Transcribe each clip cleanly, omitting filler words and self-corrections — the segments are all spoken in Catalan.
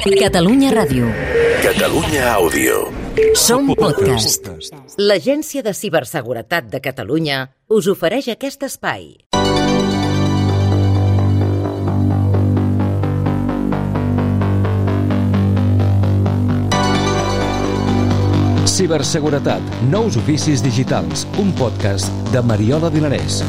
Catalunya Ràdio. Catalunya Àudio. Som podcast. L'Agència de Ciberseguretat de Catalunya us ofereix aquest espai. Ciberseguretat, nous oficis digitals, un podcast de Mariola Dinarès.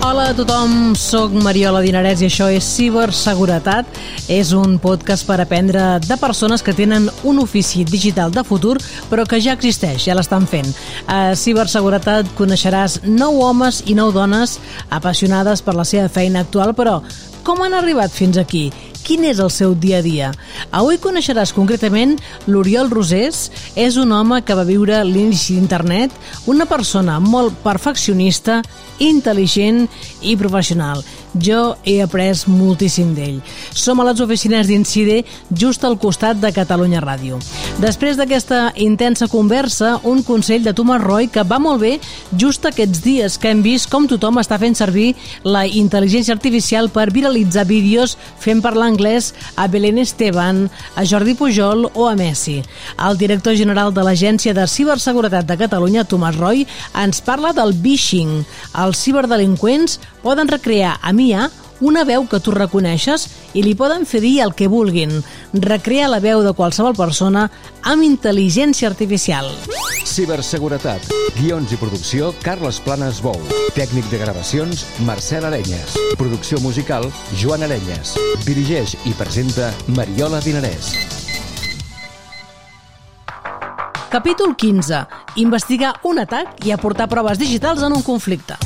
Hola a tothom, soc Mariola Dinarès i això és Ciberseguretat. És un podcast per aprendre de persones que tenen un ofici digital de futur, però que ja existeix, ja l'estan fent. A Ciberseguretat coneixeràs 9 homes i 9 dones apassionades per la seva feina actual, però com han arribat fins aquí? Quin és el seu dia a dia? Avui coneixeràs concretament l'Oriol Rosés. És un home que va viure l'inici d'internet, una persona molt perfeccionista, intel·ligent i professional. Jo he après moltíssim d'ell. Som a les oficines d'Incide, just al costat de Catalunya Ràdio. Després d'aquesta intensa conversa, un consell de Tomàs Roy que va molt bé just aquests dies que hem vist com tothom està fent servir la intel·ligència artificial per viralitzar vídeos fent parlar anglès a Belén Esteban, a Jordi Pujol o a Messi. El director general de l'Agència de Ciberseguretat de Catalunya, Tomàs Roy, ens parla del phishing. Els ciberdelinqüents poden recrear a IA una veu que tu reconeixes i li poden fer dir el que vulguin. Recrear la veu de qualsevol persona amb intel·ligència artificial. Ciberseguretat, guions i producció, Carles Planes Bou. Tècnic de gravacions, Marcel Arenyes. Producció musical, Joan Arenyes. Dirigeix i presenta Mariola Dinarès. Capítol 15. Investigar un atac i aportar proves digitals en un conflicte.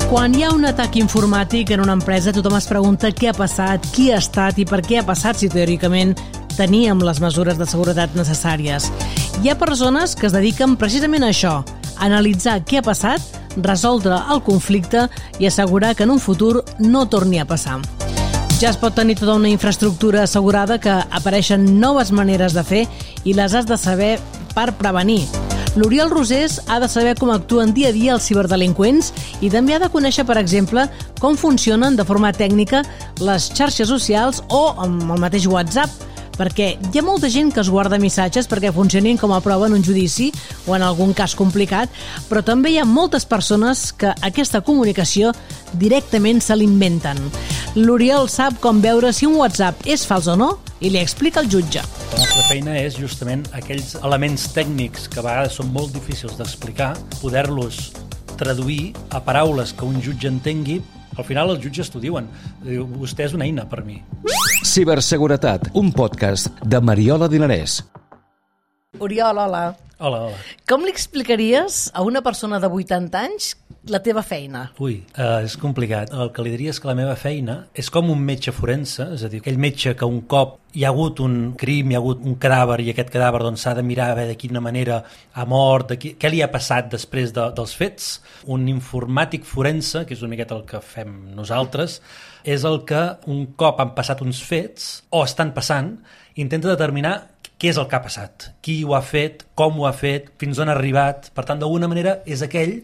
Quan hi ha un atac informàtic en una empresa, tothom es pregunta què ha passat, qui ha estat i per què ha passat si teòricament teníem les mesures de seguretat necessàries. Hi ha persones que es dediquen precisament a això, a analitzar què ha passat, resoldre el conflicte i assegurar que en un futur no torni a passar. Ja es pot tenir tota una infraestructura assegurada que apareixen noves maneres de fer i les has de saber per prevenir. L'Oriol Rosés ha de saber com actuen dia a dia els ciberdelinqüents i també ha de conèixer, per exemple, com funcionen de forma tècnica les xarxes socials o amb el mateix WhatsApp, perquè hi ha molta gent que es guarda missatges perquè funcionin com a prova en un judici o en algun cas complicat, però també hi ha moltes persones que aquesta comunicació directament se l'inventen. L'Oriol sap com veure si un WhatsApp és fals o no i li explica al jutge. La nostra feina és justament aquells elements tècnics que a vegades són molt difícils d'explicar, poder-los traduir a paraules que un jutge entengui. Al final els jutges t'ho diuen. Vostè és una eina per mi. Ciberseguretat, un podcast de Mariola Dinarès. Oriol, hola. Hola. Com li explicaries a una persona de 80 anys la teva feina? Ui, és complicat. El que li diria és que la meva feina és com un metge forense, és a dir, aquell metge que un cop hi ha hagut un crim, hi ha hagut un cadàver i aquest cadàver doncs, s'ha de mirar a veure de quina manera ha mort, què li ha passat després dels fets. Un informàtic forense, que és una miqueta el que fem nosaltres, és el que un cop han passat uns fets o estan passant, intenta determinar què és el que ha passat, qui ho ha fet, com ho ha fet, fins on ha arribat. Per tant, d'alguna manera és aquell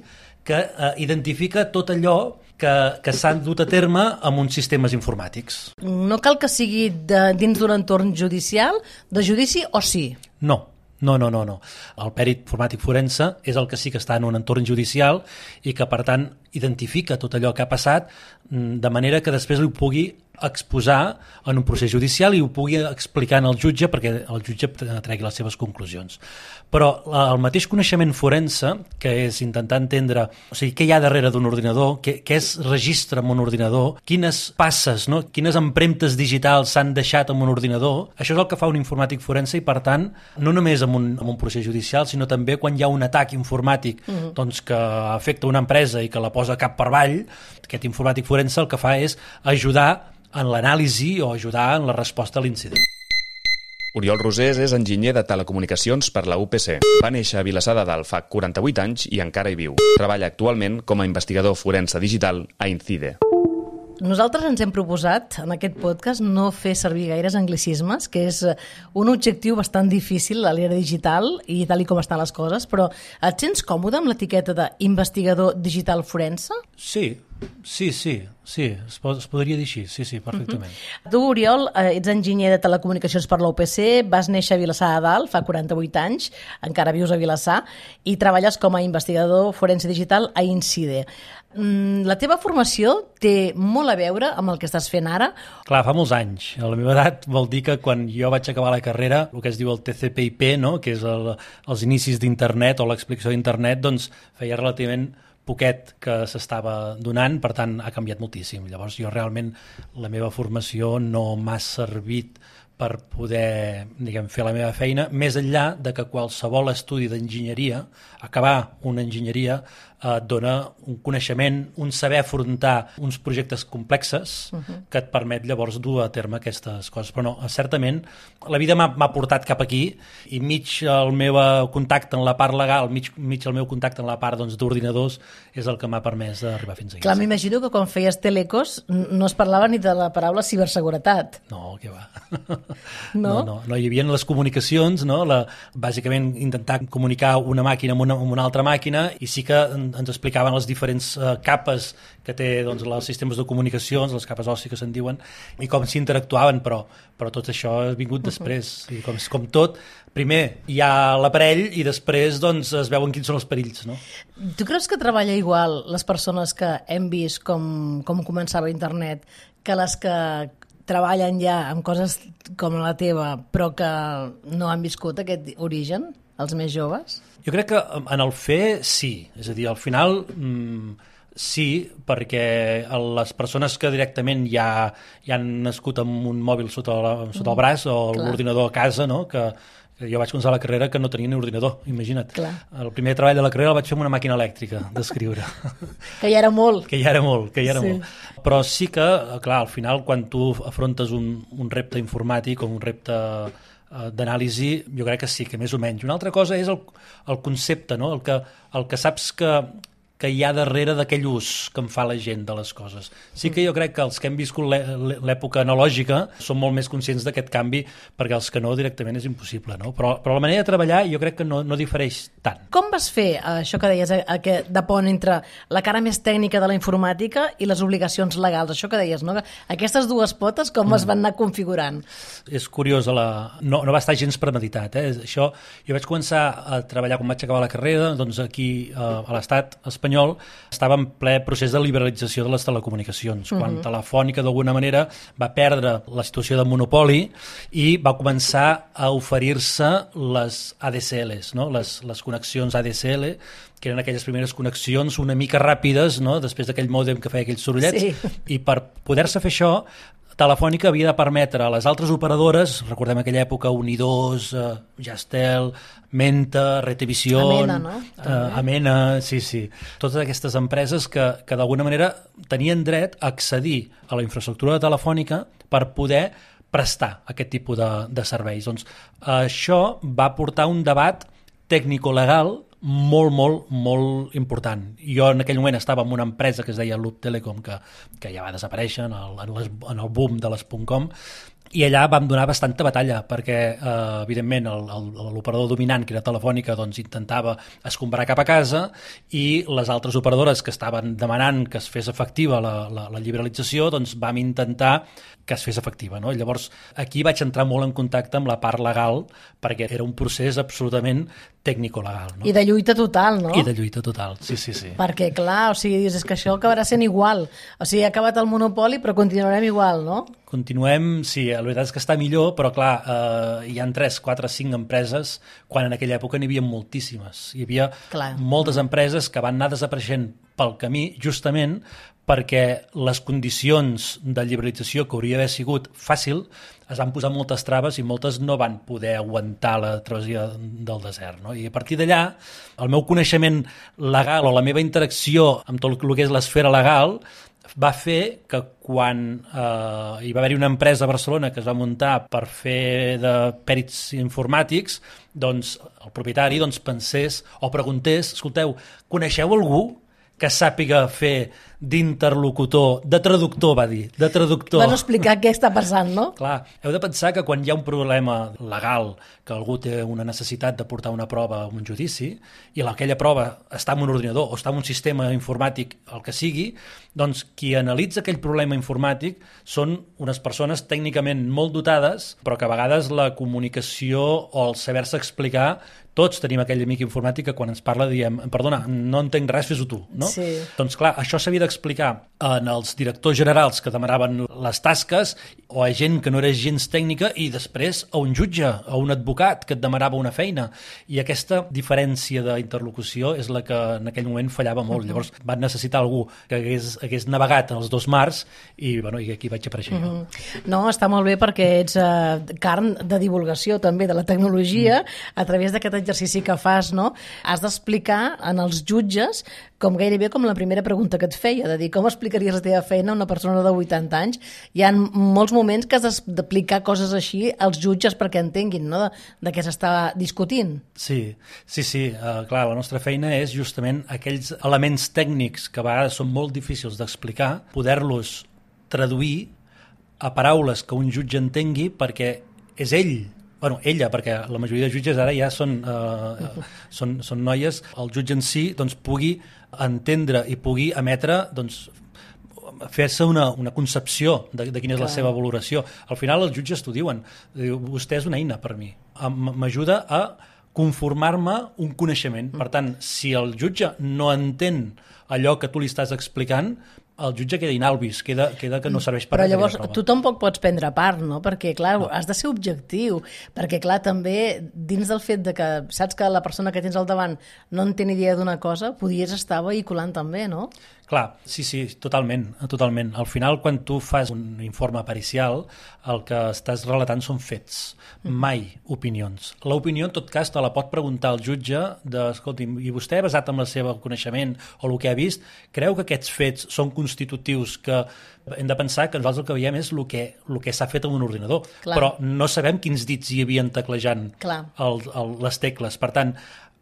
que identifica tot allò que s'han dut a terme amb uns sistemes informàtics. No cal que sigui dins d'un entorn judicial, de judici o sí? No. El pèrit informàtic forense és el que sí que està en un entorn judicial i que, per tant, identifica tot allò que ha passat de manera que després ho pugui exposar en un procés judicial i ho pugui explicar al jutge perquè el jutge tregui les seves conclusions. Però el mateix coneixement forense, que és intentar entendre què hi ha darrere d'un ordinador, què es registra en un ordinador, quines passes, quines empremtes digitals s'han deixat en un ordinador, això és el que fa un informàtic forense i, per tant, no només en un procés judicial, sinó també quan hi ha un atac informàtic que afecta una empresa i que la posa cap per avall, aquest informàtic forense el que fa és ajudar en l'anàlisi o ajudar en la resposta a l'incident. Oriol Rosés és enginyer de telecomunicacions per la UPC. Va néixer a Vilassar de Dalt fa 48 anys i encara hi viu. Treballa actualment com a investigador forense digital a Incide. Nosaltres ens hem proposat en aquest podcast no fer servir gaires anglicismes, que és un objectiu bastant difícil a l'era digital i tal com estan les coses, però et sents còmode amb l'etiqueta d'investigador digital forense? Sí, Sí, es podria dir així, sí, perfectament. Tu, Oriol, ets enginyer de telecomunicacions per la UPC, vas néixer a Vilassar de Dalt fa 48 anys, encara vius a Vilassar, i treballes com a investigador forense digital a INCIDE. La teva formació té molt a veure amb el que estàs fent ara? Clar, fa molts anys. A la meva edat vol dir que quan jo vaig acabar la carrera, el que es diu el TCP/IP, no? Que és els inicis d'internet o l'explicació d'internet, doncs feia relativament poquet que s'estava donant, per tant ha canviat moltíssim. Llavors jo realment la meva formació no m'ha servit per poder, fer la meva feina, més enllà de que qualsevol estudi d'enginyeria, acabar una enginyeria, et dona un coneixement, un saber afrontar uns projectes complexes que et permet llavors dur a terme aquestes coses. Però no, certament, la vida m'ha portat cap aquí i mig el meu contacte en la part legal, mig el meu contacte en la part d'ordinadors és el que m'ha permès d'arribar fins aquí. Clar, m'imagino que quan feies telecos no es parlava ni de la paraula ciberseguretat. No, què va. No, hi havia les comunicacions, no? Bàsicament intentar comunicar una màquina amb una altra màquina, i sí que ens explicaven les diferents capes que té els sistemes de comunicacions, les capes OSI que se'n diuen, i com s'interactuaven, però tot això ha vingut després. I com tot, primer hi ha l'aparell i després es veuen quins són els perills. No? Tu creus que treballa igual les persones que hem vist com començava internet que les que treballen ja amb coses com la teva però que no han viscut aquest origen, els més joves? Jo crec que en el fer sí, és a dir, al final sí, perquè les persones que directament ja han nascut amb un mòbil sota el braç o l'ordinador a casa, no? Que jo vaig començar la carrera que no tenia ni ordinador, imagina't. Clar. El primer treball de la carrera el vaig fer amb una màquina elèctrica d'escriure. Que ja era molt. Que ja era molt. Però sí que, clar, al final, quan tu afrontes un repte informàtic o un repte d'anàlisi, jo crec que sí, que més o menys. Una altra cosa és el concepte, no? El que saps que hi ha darrere d'aquell ús que en fa la gent de les coses. Sí que jo crec que els que hem viscut l'època analògica són molt més conscients d'aquest canvi, perquè els que no directament és impossible, no? Però la manera de treballar jo crec que no difereix tant. Com vas fer això que deies, de pont entre la cara més tècnica de la informàtica i les obligacions legals? Això que deies, no? Aquestes dues potes com es van anar configurant? És curiós, no va estar gens premeditat. Això, jo vaig començar a treballar quan vaig acabar la carrera, doncs aquí a l'Estat espanyol estava en ple procés de liberalització de les telecomunicacions, quan Telefònica d'alguna manera va perdre la situació de monopoli i va començar a oferir-se les ADSLs, no? les connexions ADSL, que eren aquelles primeres connexions una mica ràpides, no? Després d'aquell mòdem que feia aquells sorollets, sí. I per poder-se fer això Telefònica havia de permetre a les altres operadores, recordem aquella època Unidós, Jastel, Menta, Retevisión, Amena, no? Amena, sí. Totes aquestes empreses que d'alguna manera tenien dret a accedir a la infraestructura de Telefònica per poder prestar aquest tipus de serveis. Doncs això va portar un debat tècnico-legal molt important. Jo en aquell moment estava en una empresa que es deia Loop Telecom, que ja va desaparèixer en el boom de les .com, i allà vam donar bastanta batalla perquè, evidentment, l'operador dominant, que era Telefònica, doncs intentava escombrar cap a casa, i les altres operadores que estaven demanant que es fes efectiva la liberalització, doncs vam intentar que es fes efectiva, no? Llavors, aquí vaig entrar molt en contacte amb la part legal, perquè era un procés absolutament tècnico-legal, no? I de lluita total, no? I de lluita total, sí. Perquè, clar, dius, és que això acabarà sent igual. O sigui, ha acabat el monopoli, però continuarem igual, no? Continuem, sí, la veritat és que està millor, però clar, hi ha 3, 4, 5 empreses, quan en aquella època n'hi havia moltíssimes. Hi havia moltes empreses que van anar desapareixent pel camí, justament perquè les condicions de liberalització, que hauria d'haver sigut fàcil, es van posar moltes traves i moltes no van poder aguantar la travessia del desert, no? I a partir d'allà, el meu coneixement legal o la meva interacció amb tot el que és l'esfera legal va fer que quan hi va haver-hi una empresa a Barcelona que es va muntar per fer de pèrits informàtics, doncs el propietari pensés o preguntés, escolteu, coneixeu algú que sàpiga fer d'interlocutor, de traductor, va dir, de traductor. Van explicar què està passant, no? Clar, heu de pensar que quan hi ha un problema legal, que algú té una necessitat de portar una prova a un judici, i aquella prova està en un ordinador o està en un sistema informàtic, el que sigui, doncs qui analitza aquell problema informàtic són unes persones tècnicament molt dotades, però que a vegades la comunicació o el saber-se explicar, tots tenim aquell amic informàtic que quan ens parla diem, perdona, no entenc res, fes-ho tu, no? Sí. Doncs clar, això s'havia d'explicar en els directors generals que demanaven les tasques o a gent que no era gens tècnica i després a un jutge, a un advocat que et demanava una feina. I aquesta diferència d'interlocució és la que en aquell moment fallava molt. Llavors van necessitar algú que hagués navegat en els dos mars i, bueno, i aquí vaig aparèixer jo. No, està molt bé perquè ets carn de divulgació també de la tecnologia a través d'aquest exercici que fas, no? Has d'explicar en els jutges com gairebé com la primera pregunta que et feia, de dir com explicaries la teva feina a una persona de 80 anys. Hi ha molts moments que has d'aplicar coses així als jutges perquè entenguin, no?, de què s'està discutint. Sí. Clar, la nostra feina és justament aquells elements tècnics que a vegades són molt difícils d'explicar, poder-los traduir a paraules que un jutge entengui perquè és ella, perquè la majoria de jutges ara ja són noies, el jutge en si doncs, pugui entendre i pugui emetre, doncs, fer-se una concepció de quina és la seva valoració. Al final els jutges t'ho diuen, vostè és una eina per mi, m'ajuda a conformar-me un coneixement. Per tant, si el jutge no entén allò que tu li estàs explicant, el jutge queda inalvis, queda que no serveix per res. Però llavors tu tampoc pots prendre part, no? Perquè, clar, has de ser objectiu, perquè, clar, també dins del fet de que saps que la persona que tens al davant no en té ni idea d'una cosa, podies estar vehiculant també, no? Clar, sí, totalment. Al final, quan tu fas un informe pericial, el que estàs relatant són fets, mai opinions. L'opinió, en tot cas, te la pot preguntar el jutge escolti'm, i vostè, basat en el seu coneixement o el que ha vist, creu que aquests fets són constitutius, que hem de pensar que nosaltres el que veiem és el que s'ha fet en un ordinador. Clar. Però no sabem quins dits hi havien teclejant les tecles. Per tant,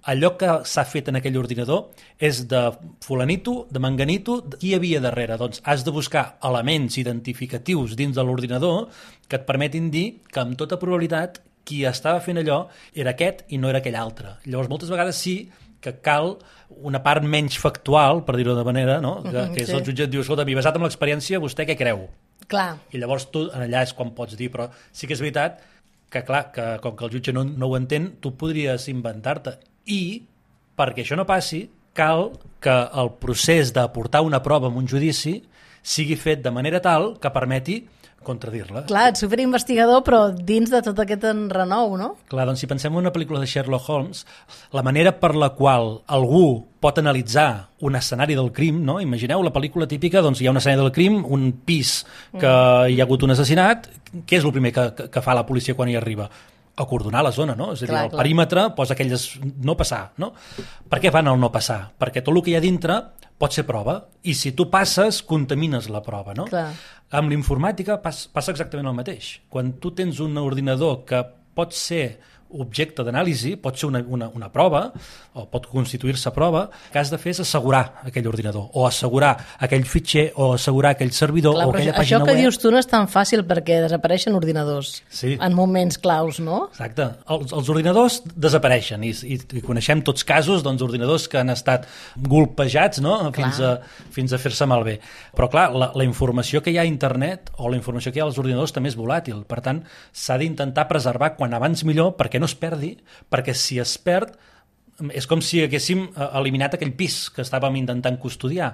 allò que s'ha fet en aquell ordinador és de fulanito, de manganito, qui hi havia darrere. Doncs has de buscar elements identificatius dins de l'ordinador que et permetin dir que amb tota probabilitat qui estava fent allò era aquest i no era aquell altre. Llavors moltes vegades sí que cal una part menys factual, per dir-ho de manera, no? que és el jutge et diu, escolta, basat en l'experiència, vostè què creu? Clar. I llavors tu allà és quan pots dir, però sí que és veritat que clar, que com que el jutge no ho entén, tu podries inventar-te. I, perquè això no passi, cal que el procés d'aportar una prova en un judici sigui fet de manera tal que permeti contradir-la. Clar, ets superinvestigador, però dins de tot aquest enrenou, no? Clar, doncs si pensem en una pel·lícula de Sherlock Holmes, la manera per la qual algú pot analitzar un escenari del crim, no? Imagineu la pel·lícula típica, doncs hi ha un escenari del crim, un pis que hi ha hagut un assassinat, què és el primer que fa la policia quan hi arriba? Acordonar la zona, no? És a dir, el perímetre posa aquelles no passar, no? Per què van al no passar? Perquè tot el que hi ha dintre pot ser prova, i si tu passes, contamines la prova, no? Clar. Amb l'informàtica passa exactament el mateix. Quan tu tens un ordinador que pot ser objecte d'anàlisi, pot ser una prova, o pot constituir-se prova, el que has de fer és assegurar aquell ordinador, o assegurar aquell fitxer, o assegurar aquell servidor, o aquella pàgina web. Això que dius tu no és tan fàcil perquè desapareixen ordinadors en moments claus, no? Exacte. Els ordinadors desapareixen i coneixem tots casos d'ordinadors que han estat golpejats, no? fins a fer-se malbé. Però clar, la informació que hi ha a internet o la informació que hi ha als ordinadors també és volàtil. Per tant, s'ha d'intentar preservar quan abans millor perquè no es perdi, perquè si es perd és com si haguéssim eliminat aquell pis que estàvem intentant custodiar.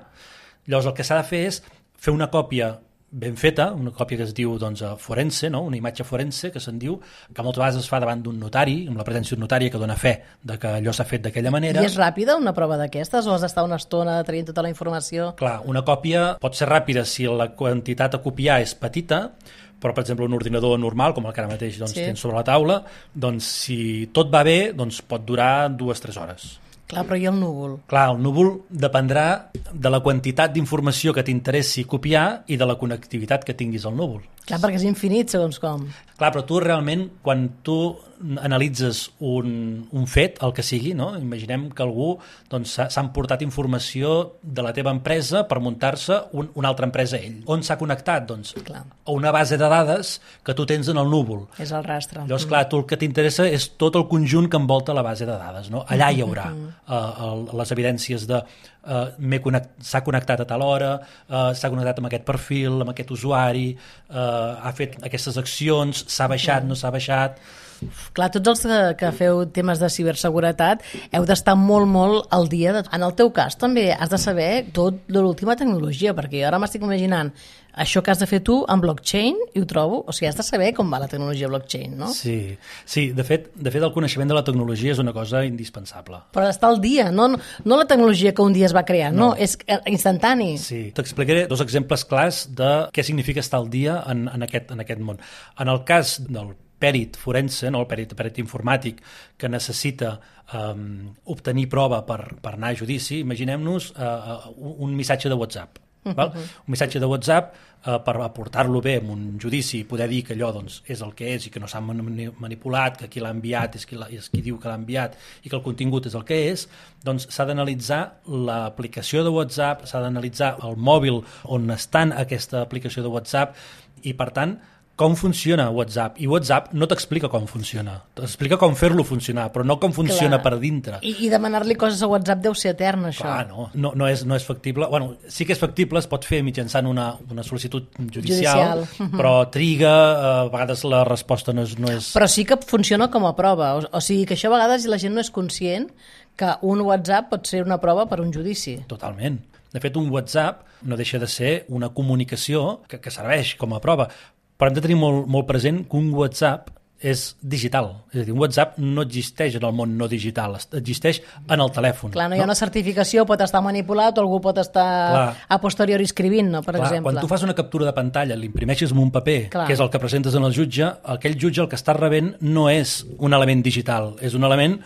Llavors el que s'ha de fer és fer una còpia ben feta, una còpia que es diu forense, no? Una imatge forense que se'n diu, que moltes vegades es fa davant d'un notari, amb la presència d'un notari que dona fe de que allò s'ha fet d'aquella manera. I és ràpida una prova d'aquestes o has d'estar una estona traient tota la informació? Clar, una còpia pot ser ràpida si la quantitat a copiar és petita, però, per exemple, un ordinador normal, com el que ara mateix tens sobre la taula, doncs, si tot va bé, doncs, pot durar 2-3 hores. Clar, però i el núvol? Clar, el núvol dependrà de la quantitat d'informació que t'interessi copiar i de la connectivitat que tinguis al núvol. Clar, perquè és infinit, segons com. Clar, però tu realment, quan tu analitzes un fet, el que sigui, no? Imaginem que algú doncs, s'ha emportat informació de la teva empresa per muntar-se una altra empresa ell. On s'ha connectat? Doncs Clar. A una base de dades que tu tens en el núvol. És el rastre. Llavors, clar, tu el que t'interessa és tot el conjunt que envolta la base de dades. No? Allà hi haurà les evidències de s'ha connectat a tal hora, s'ha connectat amb aquest perfil, amb aquest usuari, ha fet aquestes accions, s'ha baixat, no s'ha baixat... Clar, tots els que feu temes de ciberseguretat heu d'estar molt al dia. En el teu cas també has de saber tot de l'última tecnologia, perquè ara m'estic imaginant això que has de fer tu amb blockchain i ho trobo, o sigui, has de saber com va la tecnologia blockchain, no? Sí, de fet el coneixement de la tecnologia és una cosa indispensable. Però d'estar al dia, no la tecnologia que un dia es va crear, no és instantani. Sí, t'explicaré 2 exemples clars de què significa estar al dia en aquest món. En el cas del pèrit forense, no, el pèrit informàtic, que necessita obtenir prova per anar a judici, imaginem-nos un missatge de WhatsApp. Val? Un missatge de WhatsApp per aportar-lo bé en un judici i poder dir que allò doncs, és el que és i que no s'ha manipulat, que qui l'ha enviat és qui diu que l'ha enviat i que el contingut és el que és, doncs s'ha d'analitzar l'aplicació de WhatsApp, s'ha d'analitzar el mòbil on està aquesta aplicació de WhatsApp i, per tant, com funciona WhatsApp. I WhatsApp no t'explica com funciona. T'explica com fer-lo funcionar, però no com funciona per dintre. I demanar-li coses a WhatsApp deu ser etern, això. Clar, no és factible. Bueno, sí que és factible, es pot fer mitjançant una sol·licitud judicial. Però triga, a vegades la resposta no és... Però sí que funciona com a prova. O sigui que això a vegades la gent no és conscient que un WhatsApp pot ser una prova per un judici. Totalment. De fet, un WhatsApp no deixa de ser una comunicació que serveix com a prova. Però hem de tenir molt present que un WhatsApp és digital. És a dir, un WhatsApp no existeix en el món no digital, existeix en el telèfon. Clar, no hi ha una certificació, pot estar manipulat o algú pot estar a posteriori escrivint, no, per exemple. Quan tu fas una captura de pantalla, l'imprimeixes en un paper, que és el que presentes en el jutge, aquell jutge el que està rebent no és un element digital, és un element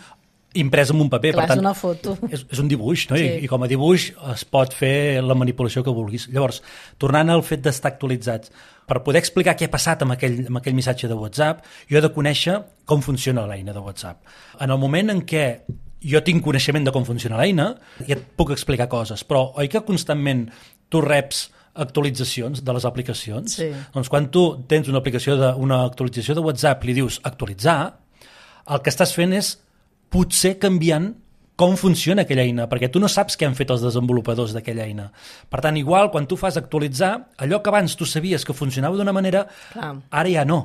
imprès en un paper. Clar, per tant, és una foto. És un dibuix, no? Sí. I com a dibuix es pot fer la manipulació que vulguis. Llavors, tornant al fet d'estar actualitzats, per poder explicar què ha passat amb aquell missatge de WhatsApp, jo he de conèixer com funciona l'eina de WhatsApp. En el moment en què jo tinc coneixement de com funciona l'eina, ja et puc explicar coses, però oi que constantment tu reps actualitzacions de les aplicacions? Sí. Doncs quan tu tens una actualització de WhatsApp i li dius actualitzar, el que estàs fent és potser canviant com funciona aquella eina, perquè tu no saps què han fet els desenvolupadors d'aquella eina. Per tant, igual, quan tu fas actualitzar, allò que abans tu sabies que funcionava d'una manera, ara ja no.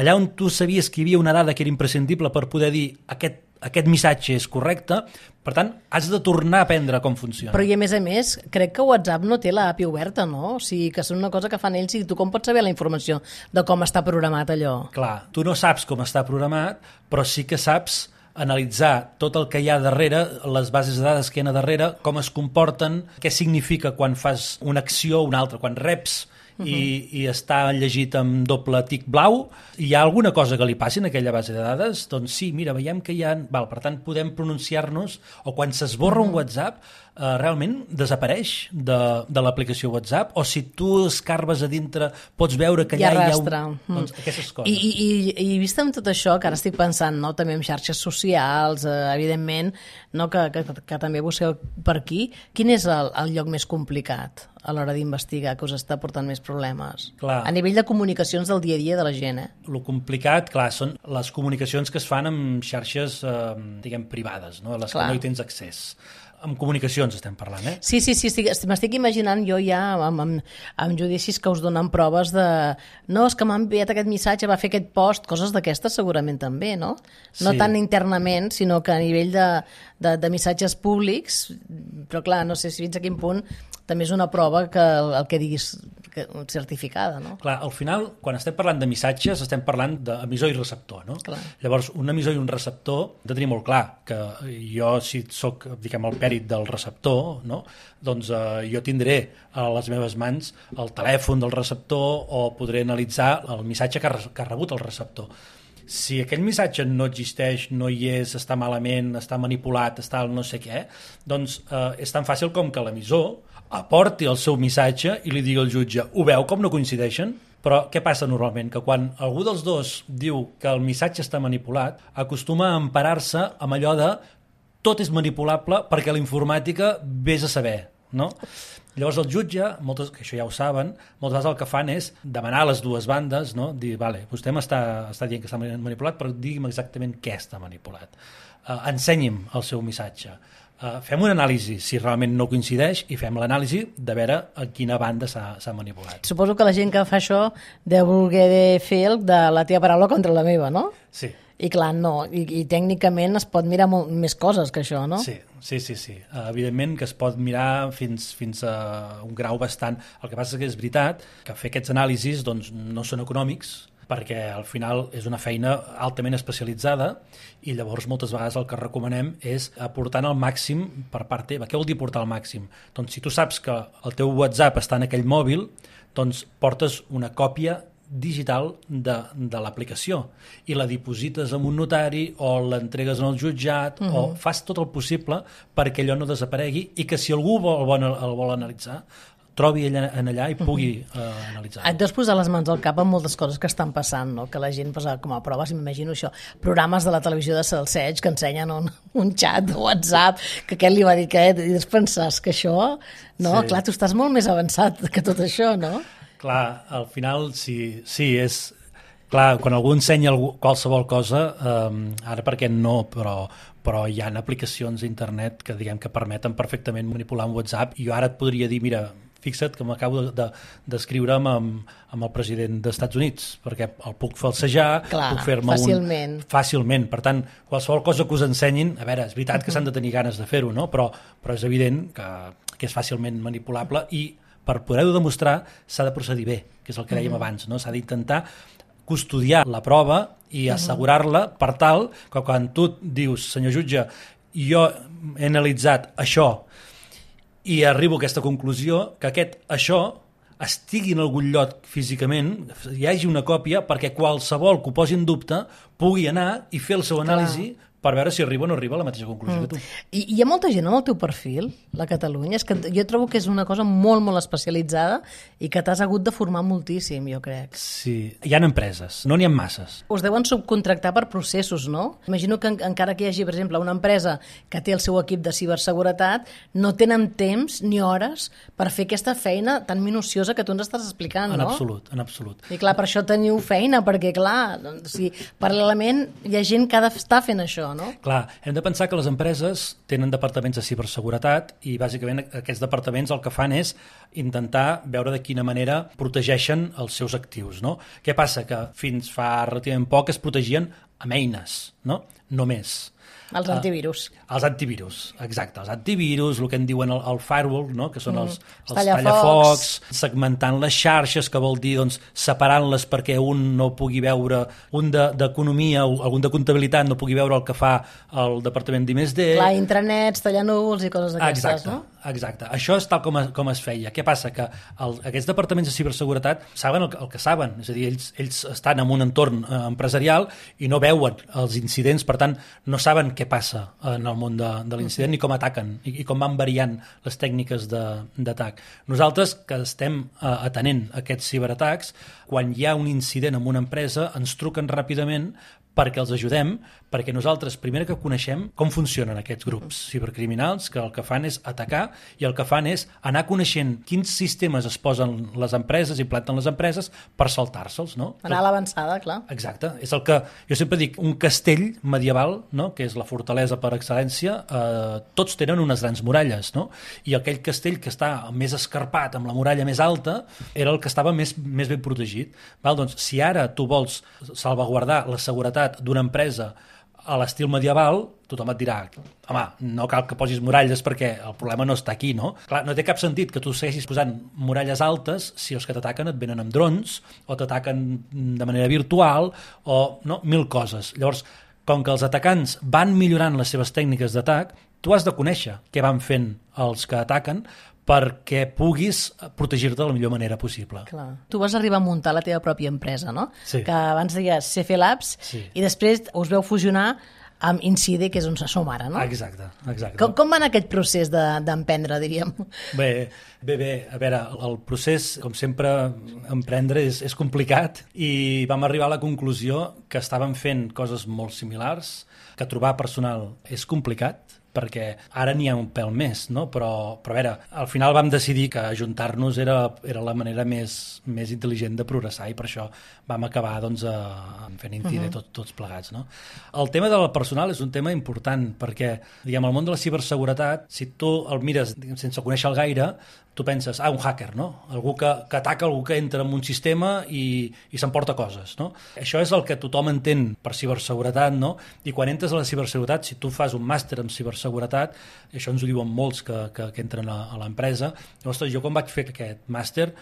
Allà on tu sabies que hi havia una dada que era imprescindible per poder dir aquest missatge és correcte, per tant, has de tornar a aprendre com funciona. Però i a més, crec que WhatsApp no té l'API oberta, no? O sigui, que és una cosa que fan ells i tu com pots saber la informació de com està programat allò? Clar, tu no saps com està programat, però sí que saps analitzar tot el que hi ha darrere, les bases de dades que hi ha darrere, com es comporten, què significa quan fas una acció o una altra, quan reps i està llegit amb doble tic blau, hi ha alguna cosa que li passi en aquella base de dades? Doncs sí, mira, veiem que hi ha... per tant, podem pronunciar-nos, o quan s'esborra un WhatsApp, realment desapareix de l'aplicació WhatsApp, o si tu escarbes a dintre pots veure que allà hi ha doncs, aquestes coses. I vist amb tot això, que ara estic pensant, no, també en xarxes socials, evidentment, no, que també busqueu per aquí, quin és el lloc més complicat a l'hora d'investigar, que us està portant més problemes? Clar. A nivell de comunicacions del dia a dia de la gent, Lo complicat, clar, són les comunicacions que es fan amb xarxes, diguem, privades, no? A les que no hi tens accés. Amb comunicacions estem parlant, Sí, m'estic imaginant jo ja amb judicis que us donen proves de... No, és que m'ha enviat aquest missatge, va fer aquest post, coses d'aquestes segurament també, no? No tant internament, sinó que a nivell de missatges públics, però clar, no sé si fins a quin punt també és una prova que el que diguis certificada, no? Clar, al final, quan estem parlant de missatges, estem parlant d'emissor i receptor, no? Clar. Llavors, un emissor i un receptor, de tenir molt clar que jo, si soc, diguem, el pèrit del receptor, no? Doncs jo tindré a les meves mans el telèfon del receptor o podré analitzar el missatge que ha rebut el receptor. Si aquell missatge no existeix, no hi és, està malament, està manipulat, està el no sé què, doncs és tan fàcil com que l'emissor aporti el seu missatge i li digui al jutge, ho veu com no coincideixen? Però què passa normalment? Que quan algú dels dos diu que el missatge està manipulat, acostuma a emparar-se amb allò de tot és manipulable perquè la informàtica vés a saber, no? Llavors el jutge, que això ja ho saben, moltes vegades el que fan és demanar a les dues bandes, no? Dir, vale, vostè m'està dient que està manipulat, però digui'm exactament què està manipulat. Ensenyi'm el seu missatge. Fem una anàlisi, si realment no coincideix, i fem l'anàlisi de veure a quina banda s'ha manipulat. Suposo que la gent que fa això deu voler fer el de la teva paraula contra la meva, no? Sí. I clar, no, i tècnicament es pot mirar més coses que això, no? Sí. Evidentment que es pot mirar fins a un grau bastant... El que passa és que és veritat que fer aquests anàlisis doncs, no són econòmics, perquè al final és una feina altament especialitzada i llavors moltes vegades el que recomanem és aportar el màxim per part teva. Què vol dir portar el màxim? Doncs si tu saps que el teu WhatsApp està en aquell mòbil, doncs portes una còpia digital de l'aplicació i la diposites en un notari o l'entregues en el jutjat o fas tot el possible perquè allò no desaparegui i que si algú el vol analitzar trobi allà i pugui analitzar. Et deus posar les mans al cap amb moltes coses que estan passant, no? Que la gent posa com a prova, si m'imagino això, programes de la televisió de Salseig que ensenyen un xat de WhatsApp que aquest li va dir que i després penses que això, no? Sí. Clar, tu estàs molt més avançat que tot això, no? Clar, al final sí, és... Clar, quan algú ensenya qualsevol cosa, ara perquè no, però hi ha aplicacions a internet que diguem que permeten perfectament manipular un WhatsApp i jo ara et podria dir, mira, fixa't que m'acabo d'escriure amb el president dels Estats Units, perquè el puc falsejar, puc fer-me fàcilment. Per tant, qualsevol cosa que us ensenyin, a veure, és veritat que s'han de tenir ganes de fer-ho, no? Però és evident que és fàcilment manipulable i per poder-ho demostrar s'ha de procedir bé, que és el que dèiem abans, no? S'ha d'intentar custodiar la prova i assegurar-la per tal que quan tu dius, senyor jutge, jo he analitzat això i arribo a aquesta conclusió, que això estigui en algun lloc físicament, hi hagi una còpia perquè qualsevol que ho posi en dubte pugui anar i fer el seu anàlisi per veure si arriba o no arriba a la mateixa conclusió que tu. I hi ha molta gent en el teu perfil, la Catalunya, és que jo trobo que és una cosa molt, molt especialitzada i que t'has hagut de formar moltíssim, jo crec. Sí, hi ha empreses, no n'hi ha masses. Us deuen subcontractar per processos, no? Imagino que encara que hi hagi, per exemple, una empresa que té el seu equip de ciberseguretat, no tenen temps ni hores per fer aquesta feina tan minuciosa que tu ens estàs explicant, no? En absolut. I clar, per això teniu feina, perquè clar, paral·lelament hi ha gent que ha d'estar fent això, no? Clar, hem de pensar que les empreses tenen departaments de ciberseguretat i bàsicament aquests departaments el que fan és intentar veure de quina manera protegeixen els seus actius, no? Què passa? Que fins fa relativament poc es protegien amb eines, no? Només. Els antivirus. Els antivirus, exacte. Els antivirus, el que en diuen el firewall, no? Que són els tallafocs, segmentant les xarxes, que vol dir doncs, separant-les perquè un no pugui veure, un d'economia o algun de comptabilitat no pugui veure el que fa el departament d'I+D. Clar, intranets, tallanúvols i coses d'aquestes, no? Exacte. Això és tal com es feia. Què passa? Que aquests departaments de ciberseguretat saben el que saben, és a dir, ells estan en un entorn empresarial i no veuen els incidents, per tant, no saben què passa en el món de l'incident ni com ataquen i com van variant les tècniques d'atac. Nosaltres, que estem atenent aquests ciberatacs, quan hi ha un incident en una empresa, ens truquen ràpidament perquè els ajudem, perquè nosaltres, primer que coneixem com funcionen aquests grups cibercriminals, que el que fan és atacar i el que fan és anar coneixent quins sistemes es posen les empreses i planten les empreses per saltar-se'ls, no? Anar a l'avançada, clar. Exacte. És el que jo sempre dic, un castell medieval, no? Que és la fortalesa per excel·lència, tots tenen unes grans muralles, no? I aquell castell que està més escarpat, amb la muralla més alta, era el que estava més ben protegit. Val? Doncs, si ara tu vols salvaguardar la seguretat d'una empresa a l'estil medieval, tothom et dirà, home, no cal que posis muralles perquè el problema no està aquí, no? Clar, no té cap sentit que tu segueixis posant muralles altes si els que t'ataquen et venen amb drons o t'ataquen de manera virtual o no, 1000 coses. Llavors, com que els atacants van millorant les seves tècniques d'atac, tu has de conèixer què van fent els que ataquen perquè puguis protegir-te de la millor manera possible. Clar. Tu vas arribar a muntar la teva pròpia empresa, no? Sí. Que abans deies CF Labs, sí. I després us veu fusionar amb Incide, que és on som ara, no? Exacte. Com va anar aquest procés d'emprendre, diríem? Bé, a veure, el procés, com sempre, emprendre és complicat i vam arribar a la conclusió que estàvem fent coses molt similars, que trobar personal és complicat, perquè ara n'hi ha un pèl més, no? Però a veure, al final vam decidir que ajuntar-nos era la manera més intel·ligent de progressar i per això vam acabar doncs, fent Incide tots plegats, no? El tema del personal és un tema important perquè, diguem, el món de la ciberseguretat, si tu el mires sense conèixer-lo gaire, tu penses, un hacker, no? Algú que ataca, algú que entra en un sistema i s'emporta coses, no? Això és el que tothom entén per ciberseguretat, no? I quan entres a la ciberseguretat, si tu fas un màster en ciberseguretat, això ens ho diuen molts que entren a l'empresa, ostres, jo quan vaig fer aquest màster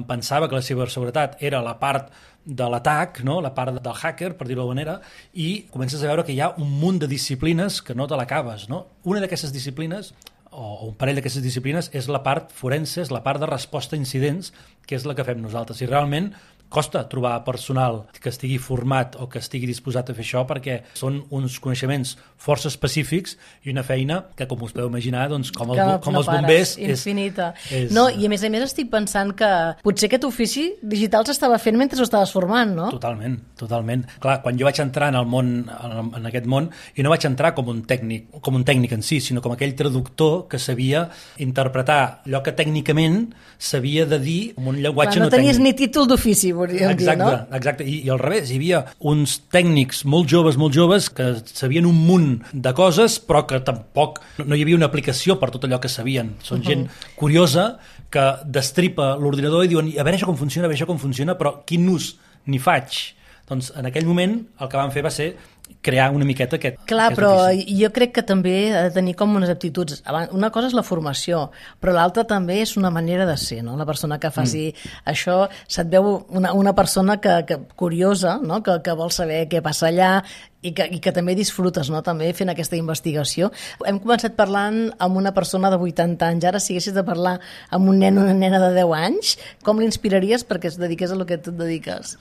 pensava que la ciberseguretat era la part de l'atac, no? La part del hacker, per dir-ho d'alguna manera, i comences a veure que hi ha un munt de disciplines que no te l'acabes, no? Una d'aquestes disciplines o un parell d'aquestes disciplines és la part forense, és la part de resposta a incidents, que és la que fem nosaltres. I realment costa trobar personal que estigui format o que estigui disposat a fer això perquè són uns coneixements força específics i una feina que, com us podeu imaginar, doncs, com els bombers... Infinita. No, i a més estic pensant que potser aquest ofici digital s'estava fent mentre ho estaves formant, no? Totalment. Clar, quan jo vaig entrar en el món, en aquest món, i no vaig entrar com un tècnic en si, sinó com aquell traductor que sabia interpretar allò que tècnicament s'havia de dir amb un llenguatge no tècnic. No tenies ni títol d'ofici, dir, no? Exacte, i al revés, hi havia uns tècnics molt joves que sabien un munt de coses però que tampoc no hi havia una aplicació per tot allò que sabien. Són gent curiosa que destripa l'ordinador i diuen a veure això com funciona, però quin ús n'hi faig? Doncs en aquell moment el que vam fer va ser crear una miqueta aquest... Clar, però jo crec que també ha de tenir com unes aptituds. Una cosa és la formació, però l'altra també és una manera de ser, no? La persona que faci això, se't veu una persona que curiosa, no? Que vol saber què passa allà i que també disfrutes, no? També fent aquesta investigació. Hem començat parlant amb una persona de 80 anys, ara si haguessis de parlar amb un nen o una nena de 10 anys, com l'inspiraries perquè es dediqués a lo que tu et dediques?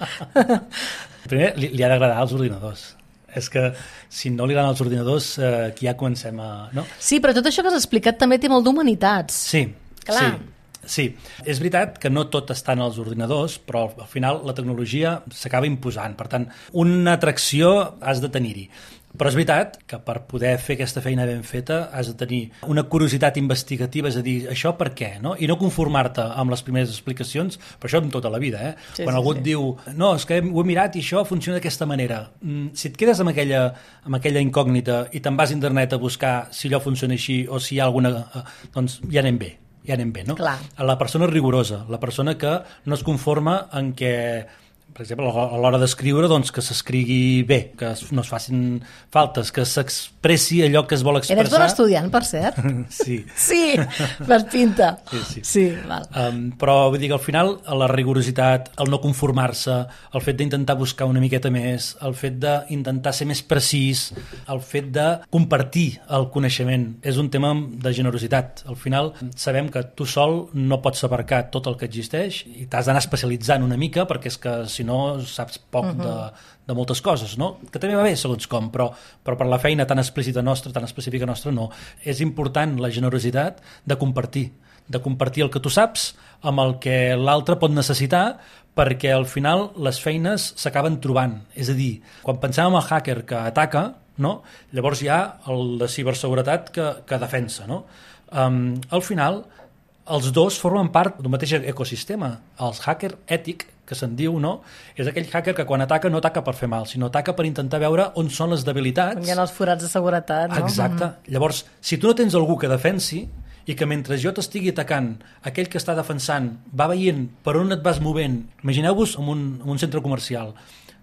Primer, li ha d'agradar als ordinadors. És que si no li agraden els ordinadors, aquí ja comencem a... No? Sí, però tot això que has explicat també té molt d'humanitats. Sí, clar. Sí. És veritat que no tot està en els ordinadors, però al final la tecnologia s'acaba imposant. Per tant, una atracció has de tenir-hi. Però és veritat que per poder fer aquesta feina ben feta has de tenir una curiositat investigativa, és a dir, això per què, no? I no conformar-te amb les primeres explicacions, però això en tota la vida, Quan algú et diu, no, és que ho he mirat i això funciona d'aquesta manera. Si et quedes amb aquella incògnita i te'n vas a internet a buscar si allò funciona així o si hi ha alguna... doncs ja anem bé, no? Clar. La persona rigorosa, la persona que no es conforma en què... Per exemple, a l'hora d'escriure, doncs, que s'escrigui bé, que no es facin faltes, que s'expressi allò que es vol expressar. Eres bon estudiant, per cert? Sí. Sí, per pinta. Sí, val. Però vull dir que al final la rigorositat, el no conformar-se, el fet d'intentar buscar una miqueta més, el fet d'intentar ser més precís, el fet de compartir el coneixement, és un tema de generositat. Al final sabem que tu sol no pots abarcar tot el que existeix i t'has d'anar especialitzant una mica perquè és que si no saps poc de moltes coses, no? Que també va bé segons com, però per la feina tan explícita nostra, tan específica nostra, no. És important la generositat de compartir el que tu saps amb el que l'altre pot necessitar perquè al final les feines s'acaben trobant. És a dir, quan pensem en el hacker que ataca, no? Llavors hi ha el de ciberseguretat que defensa, no? Al final els dos formen part d'un mateix ecosistema. El hacker ètic, que se'n diu, no? És aquell hacker que quan ataca no ataca per fer mal, sinó ataca per intentar veure on són les debilitats. On hi ha els forats de seguretat, no? Exacte. Llavors, si tu no tens algú que defensi i que mentre jo t'estigui atacant, aquell que està defensant va veient per on et vas movent, imagineu-vos en un centre comercial.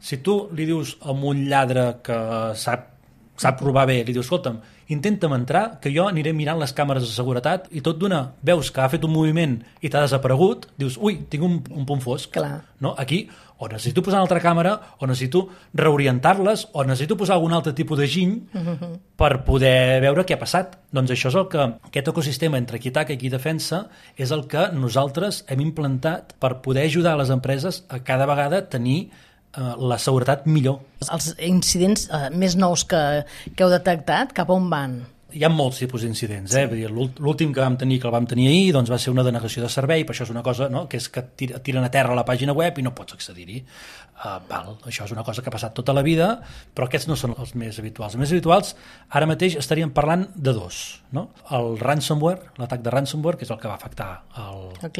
Si tu li dius a un lladre que sap robar bé, li dius, escolta'm, intenta'm entrar, que jo aniré mirant les càmeres de seguretat i tot d'una veus que ha fet un moviment i t'ha desaparegut, dius, ui, tinc un punt fosc. Clar. No? Aquí, o necessito posar una altra càmera, o necessito reorientar-les, o necessito posar algun altre tipus de giny per poder veure què ha passat. Doncs això és el que, aquest ecosistema entre qui ataca i qui defensa, és el que nosaltres hem implantat per poder ajudar les empreses a cada vegada tenir la seguretat millor. Els incidents més nous que heu detectat, cap on van? Hi ha molts tipus d'incidents. L'últim que vam tenir, que el vam tenir ahir, doncs va ser una denegació de servei, però això és una cosa, no?, que és que tiren a terra la pàgina web i no pots accedir-hi. Això és una cosa que ha passat tota la vida, però aquests no són els més habituals. Els més habituals, ara mateix estaríem parlant de dos, no? El ransomware, l'atac de ransomware, que és el que va afectar el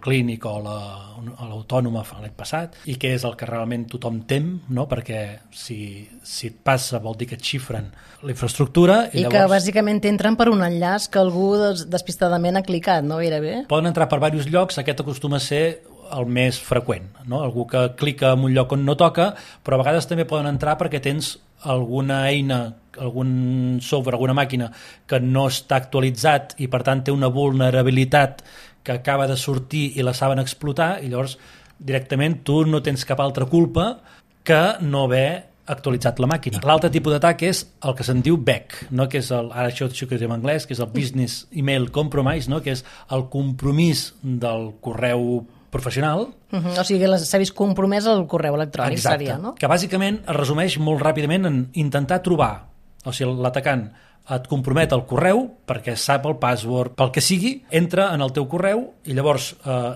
clínic o l'autònoma l'any passat, i que és el que realment tothom tem, no?, perquè si et passa vol dir que et xifren la infraestructura i llavors... que bàsicament t'entren per un enllaç que algú despistadament ha clicat, no? Gairebé. Poden entrar per diversos llocs, aquest acostuma a ser el més freqüent, no? Algú que clica en un lloc on no toca, però a vegades també poden entrar perquè tens alguna eina, algun software, alguna màquina que no està actualitzat i per tant té una vulnerabilitat que acaba de sortir i la saben explotar, i llavors directament tu no tens cap altra culpa que no haver actualitzat la màquina. L'altre tipus d'atac és el que se'n diu BEC, no? Que és ara això que és en anglès, que és el Business Email Compromise, no? Que és el compromís del correu professional. O sigui, s'ha vist compromès el correu electrònic. Exacte, seria, no? Que bàsicament es resumeix molt ràpidament en intentar trobar, o sigui, l'atacant et compromet el correu perquè sap el password, pel que sigui, entra en el teu correu i llavors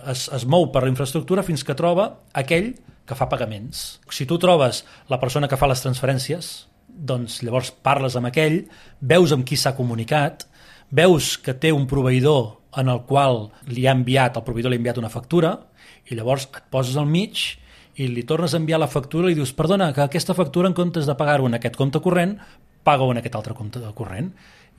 es mou per la infraestructura fins que troba aquell que fa pagaments. Si tu trobes la persona que fa les transferències, doncs llavors parles amb aquell, veus amb qui s'ha comunicat, veus que té un proveïdor en el qual el proveïdor li ha enviat una factura, i llavors et poses al mig i li tornes a enviar la factura i li dius, perdona, que aquesta factura en comptes de pagar-ho en aquest compte corrent, paga-ho en aquest altre compte corrent.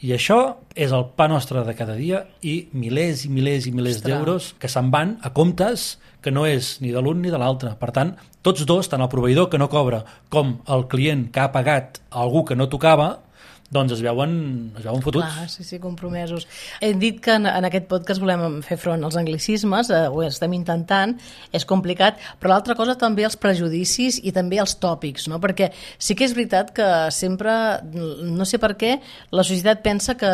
I això és el pa nostre de cada dia i milers i milers i milers d'euros que se'n van a comptes que no és ni de l'un ni de l'altre. Per tant, tots dos, tant el proveïdor que no cobra com el client que ha pagat a algú que no tocava, doncs es veuen fotuts. Clar, sí, compromesos. Hem dit que en aquest podcast volem fer front als anglicismes, ho estem intentant, és complicat, però l'altra cosa també els prejudicis i també els tòpics, no? Perquè sí que és veritat que sempre, no sé per què, la societat pensa que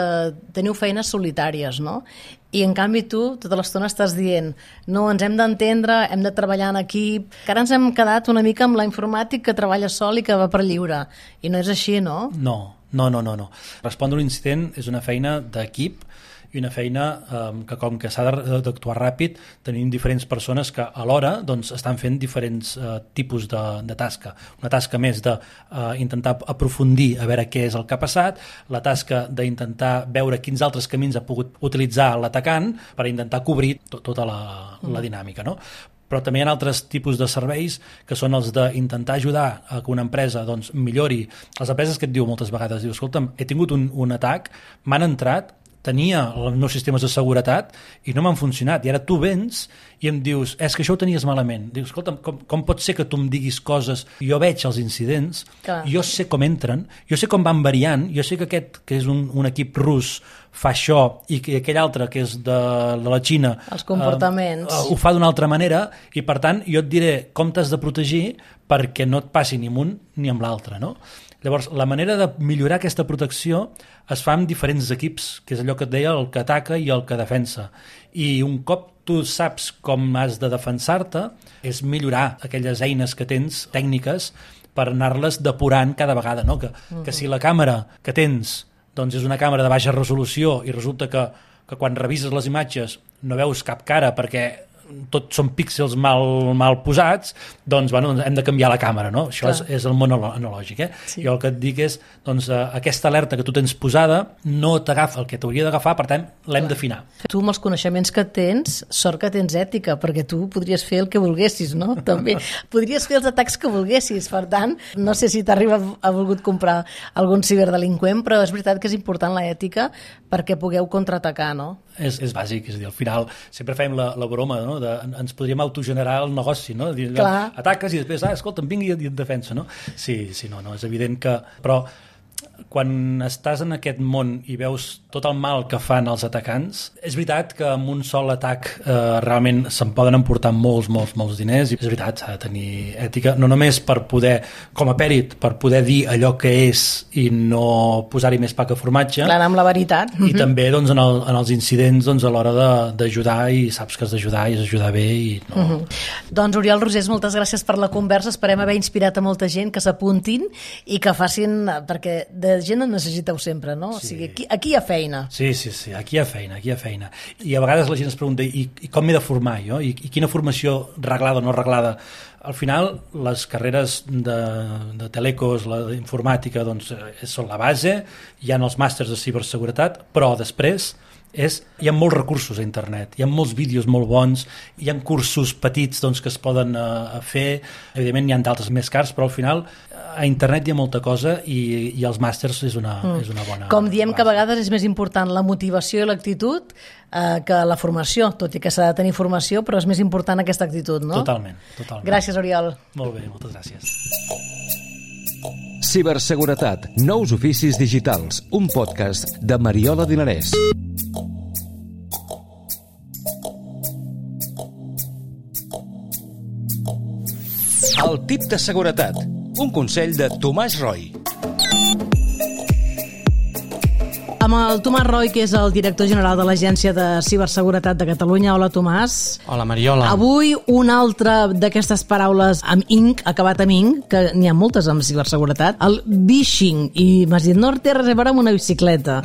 teniu feines solitàries, no? I en canvi tu tota l'estona estàs dient no, ens hem d'entendre, hem de treballar en equip, que ara ens hem quedat una mica amb la informàtic que treballa sol i que va per lliure, i no és així, no? No. Respondre un incident és una feina d'equip i una feina que com que s'ha d'actuar ràpid tenim diferents persones que alhora doncs, estan fent diferents tipus de tasca. Una tasca més d'intentar aprofundir a veure què és el que ha passat, la tasca d'intentar veure quins altres camins ha pogut utilitzar l'atacant per intentar cobrir tota la dinàmica, no? Però també hi ha altres tipus de serveis que són els d'intentar ajudar a que una empresa doncs, millori. Les empreses que et diu moltes vegades, diu, escolta'm, he tingut un atac, m'han entrat, tenia els meus sistemes de seguretat i no m'han funcionat, i ara tu vens i em dius, és que això ho tenies malament. Dius, escolta'm, com pot ser que tu em diguis coses, jo veig els incidents, jo sé com entren, jo sé com van variant, jo sé que aquest, que és un equip rus, fa això, i que aquell altre, que és de la Xina, els comportaments ho fa d'una altra manera, i per tant jo et diré com t'has de protegir perquè no et passi ni amb un ni amb l'altre, no? Llavors, la manera de millorar aquesta protecció es fa amb diferents equips, que és allò que et deia, el que ataca i el que defensa. I un cop tu saps com has de defensar-te, és millorar aquelles eines que tens, tècniques, per anar-les depurant cada vegada, no? Que si la càmera que tens doncs és una càmera de baixa resolució i resulta que quan revises les imatges no veus cap cara perquè tots són píxels mal posats, doncs bueno, hem de canviar la càmera, no? Això és el món analògic, Sí. Jo el que et dic és, doncs, aquesta alerta que tu tens posada no t'agafa el que t'hauria d'agafar, per tant, l'hem d'afinar. Tu, amb els coneixements que tens, sort que tens ètica, perquè tu podries fer el que volguessis, no? També podries fer els atacs que volguessis, per tant, no sé si t'arriba a volgut comprar algun ciberdelinqüent, però és veritat que és important la ètica perquè pugueu contraatacar, no? És bàsic, és a dir, al final sempre fem la broma, no? Ens podríem autogenerar el negoci, no? Dir, ataques i després, escolta, em vingui i et defensa, no? Sí, no, és evident que... Però quan estàs en aquest món i veus tot el mal que fan els atacants, és veritat que amb un sol atac realment se'n poden emportar molts diners, i és veritat, s'ha de tenir ètica, no només per poder, com a pèrit, per poder dir allò que és i no posar-hi més pa que formatge. Clar, amb la veritat. I també doncs, en els incidents doncs, a l'hora d'ajudar, i saps que has d'ajudar i és ajudar bé. I no... Doncs Oriol Rosés, moltes gràcies per la conversa, esperem haver inspirat a molta gent que s'apuntin i que facin, perquè de gent en necessiteu sempre, no? Sí. O sigui, aquí hi ha feina. Sí, aquí hi ha feina. I a vegades la gent es pregunta, i com m'he de formar jo? I quina formació reglada o no reglada? Al final, les carreres de telecos, la d'informàtica, doncs, són la base, hi ha els màsters de ciberseguretat, però després hi ha molts recursos a internet, hi ha molts vídeos molt bons, hi ha cursos petits doncs, que es poden fer, evidentment n'hi ha d'altres més cars, però al final a internet hi ha molta cosa i els màsters és una bona... Com diem base. Que a vegades és més important la motivació i l'actitud que la formació, tot i que s'ha de tenir formació, però és més important aquesta actitud, no? Totalment. Gràcies, Oriol. Molt bé, moltes gràcies. Ciberseguretat, nous oficis digitals, un podcast de Mariola Dinarès. El tip de seguretat, un consell de Tomàs Roy. Amb el Tomàs Roy, que és el director general de l'Agència de Ciberseguretat de Catalunya. Hola, Tomàs. Hola, Mariola. Avui una altra d'aquestes paraules amb inc, acabat amb inc, que n'hi ha moltes amb ciberseguretat, el vishing. I m'has dit, no té res a veure amb una bicicleta,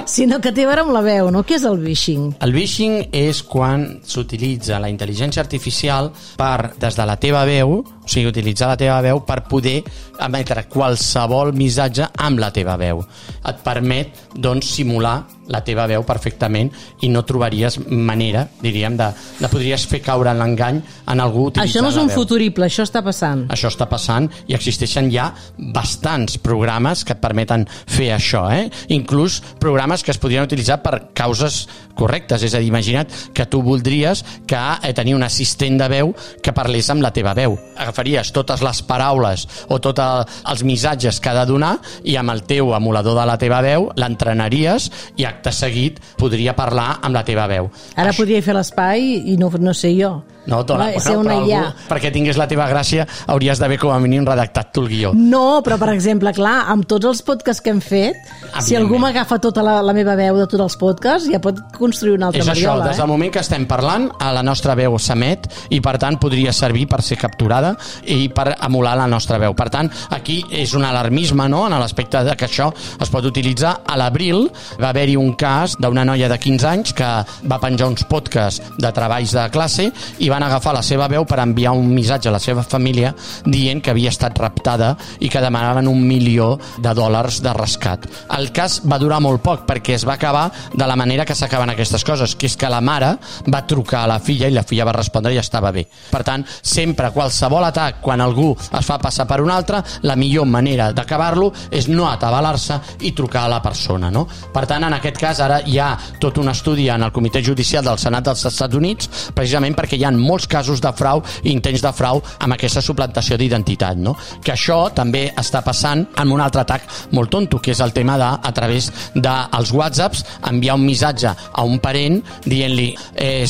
sinó que té a veure amb la veu, no? Què és el vishing? El vishing és quan s'utilitza la intel·ligència artificial per, des de la teva veu, o sigui, utilitzar la teva veu per poder emetre qualsevol missatge amb la teva veu. Et permet, doncs, simular la teva veu perfectament i no trobaries manera, diríem, de podries fer caure en l'engany en algú utilitzant la veu. Això no és un futurible, això està passant. Això està passant i existeixen ja bastants programes que et permeten fer això, inclús programes que es podrien utilitzar per causes correctes, és a dir, imagina't que tu voldries tenir un assistent de veu que parlés amb la teva veu. Agafaries totes les paraules o tots els missatges que ha de donar i amb el teu emulador de la teva veu l'entrenaries i acte seguit podria parlar amb la teva veu. Ara podria fer l'espai i no sé jo. No, dona, ser una però algú, perquè tingués la teva gràcia hauries d'haver com a mínim redactat tu el guió. No, però per exemple, clar, amb tots els podcasts que hem fet, si algú m'agafa tota la meva veu de tots els podcasts, ja pot construir una altra Mariola. És això, des del moment que estem parlant, la nostra veu s'emet i per tant podria servir per ser capturada i per emular la nostra veu. Per tant, aquí és un alarmisme, no?, en l'aspecte de que això es pot utilitzar. A l'abril va haver-hi un cas d'una noia de 15 anys que va penjar uns podcasts de treballs de classe i van agafar la seva veu per enviar un missatge a la seva família dient que havia estat raptada i que demanaven $1 milió de rescat. El cas va durar molt poc perquè es va acabar de la manera que s'acaben aquestes coses, que és que la mare va trucar a la filla i la filla va respondre i estava bé. Per tant, sempre, qualsevol atac, quan algú es fa passar per un altre, la millor manera d'acabar-lo és no atabalar-se i trucar a la persona, no? Per tant, en aquest cas, ara hi ha tot un estudi en el Comitè Judicial del Senat dels Estats Units, precisament perquè hi ha molts casos de frau i intents de frau amb aquesta suplantació d'identitat, no? Que això també està passant amb un altre atac molt tonto, que és el tema de, a través dels WhatsApps, enviar un missatge a un parent dient-li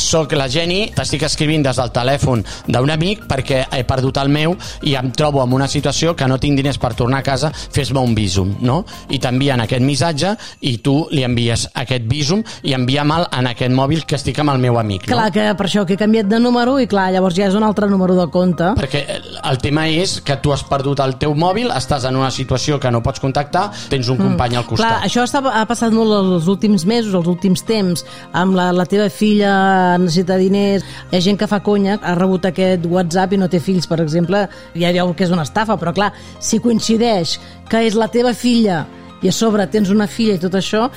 soc la Jenny, t'estic escrivint des del telèfon d'un amic perquè he perdut el meu i em trobo en una situació que no tinc diners per tornar a casa, fes-me un Bizum, no? I t'envien aquest missatge i tu li envies aquest Bizum i envia-me'l en aquest mòbil que estic amb el meu amic, no? Clar, que per això que he canviat de número i clar, llavors ja és un altre número de compte. Perquè el tema és que tu has perdut el teu mòbil, estàs en una situació que no pots contactar, tens un company al costat. Clar, això ha passat molt els últims mesos, els últims temps, amb la teva filla necessita diners, hi ha gent que fa conya, ha rebut aquest WhatsApp i no té fills, per exemple, ja veu que és una estafa, però clar, si coincideix que és la teva filla i a sobre tens una filla i tot això,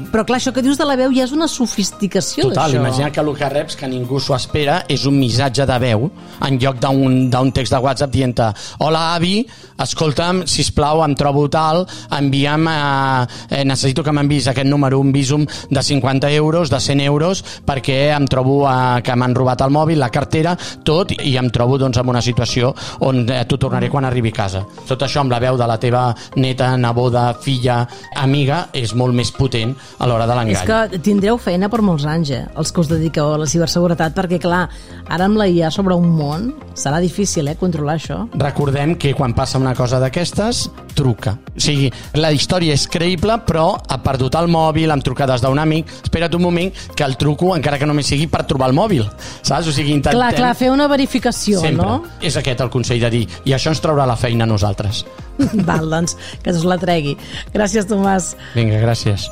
però clar, això que dius de la veu ja és una sofisticació. Total, d'això. Imagina que el que reps, que ningú s'ho espera, és un missatge de veu en lloc d'un text de WhatsApp dient-te hola avi, escolta'm, sisplau, em trobo tal, envia'm necessito que m'enviïs aquest número, un Bizum de 50 euros, de 100 euros, perquè em trobo que m'han robat el mòbil, la cartera, tot, i em trobo doncs en una situació on t'ho tornaré quan arribi a casa. Tot això amb la veu de la teva neta, neboda, filla, parella, amiga, és molt més potent a l'hora de l'engany. És que tindreu feina per molts anys, els que us dediqueu a la ciberseguretat, perquè clar, ara amb la IA sobre un món serà difícil controlar això. Recordem que quan passa una cosa d'aquestes, truca. O sigui, la història és creïble, però ha perdut el mòbil, amb trucades d'un amic, espera't un moment que el truco, encara que només sigui per trobar el mòbil, saps? O sigui, intentem... Clar, fer una verificació, sempre. No? És aquest el consell de dir, i això ens traurà la feina a nosaltres. Val, doncs, que us la tregui. Gràcies, Tomàs. Vinga, gràcies.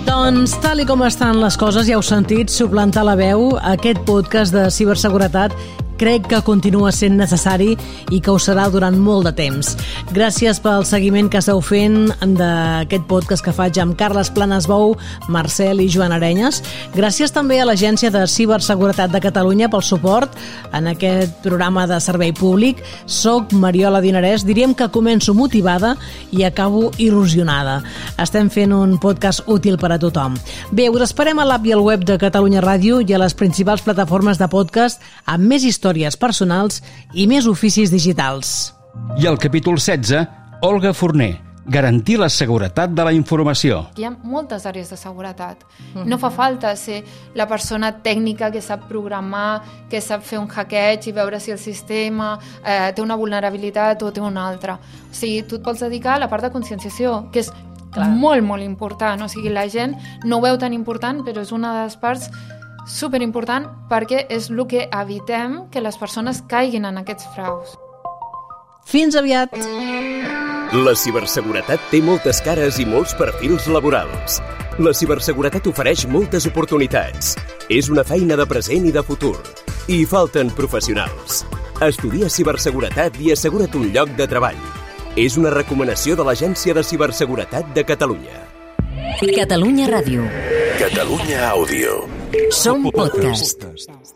Doncs, tal i com estan les coses, ja heu sentit suplantar la veu, aquest podcast de ciberseguretat crec que continua sent necessari i que ho serà durant molt de temps. Gràcies pel seguiment que esteu fent d'aquest podcast que faig amb Carles Planas-Bou, Marcel i Joan Arenyes. Gràcies també a l'Agència de Ciberseguretat de Catalunya pel suport en aquest programa de servei públic. Soc Mariola Dinarès, diríem que començo motivada i acabo il·lusionada. Estem fent un podcast útil per a tothom. Bé, us esperem a l'app i al web de Catalunya Ràdio i a les principals plataformes de podcast amb més històries personals i més oficis digitals. I al capítol 16, Olga Forner, garantir la seguretat de la informació. Hi ha moltes àrees de seguretat. No fa falta ser la persona tècnica que sap programar, que sap fer un hackeig i veure si el sistema té una vulnerabilitat o té una altra. O sigui, tu et pots dedicar a la part de conscienciació, que és molt, molt important. O sigui, la gent no ho veu tan important, però és una de les parts superimportant perquè és el que evitem que les persones caiguin en aquests fraus. Fins aviat! La ciberseguretat té moltes cares i molts perfils laborals. La ciberseguretat ofereix moltes oportunitats. És una feina de present i de futur. I hi falten professionals. Estudia ciberseguretat i assegura't un lloc de treball. És una recomanació de l'Agència de Ciberseguretat de Catalunya. Catalunya Ràdio. Catalunya Àudio. Som podcast.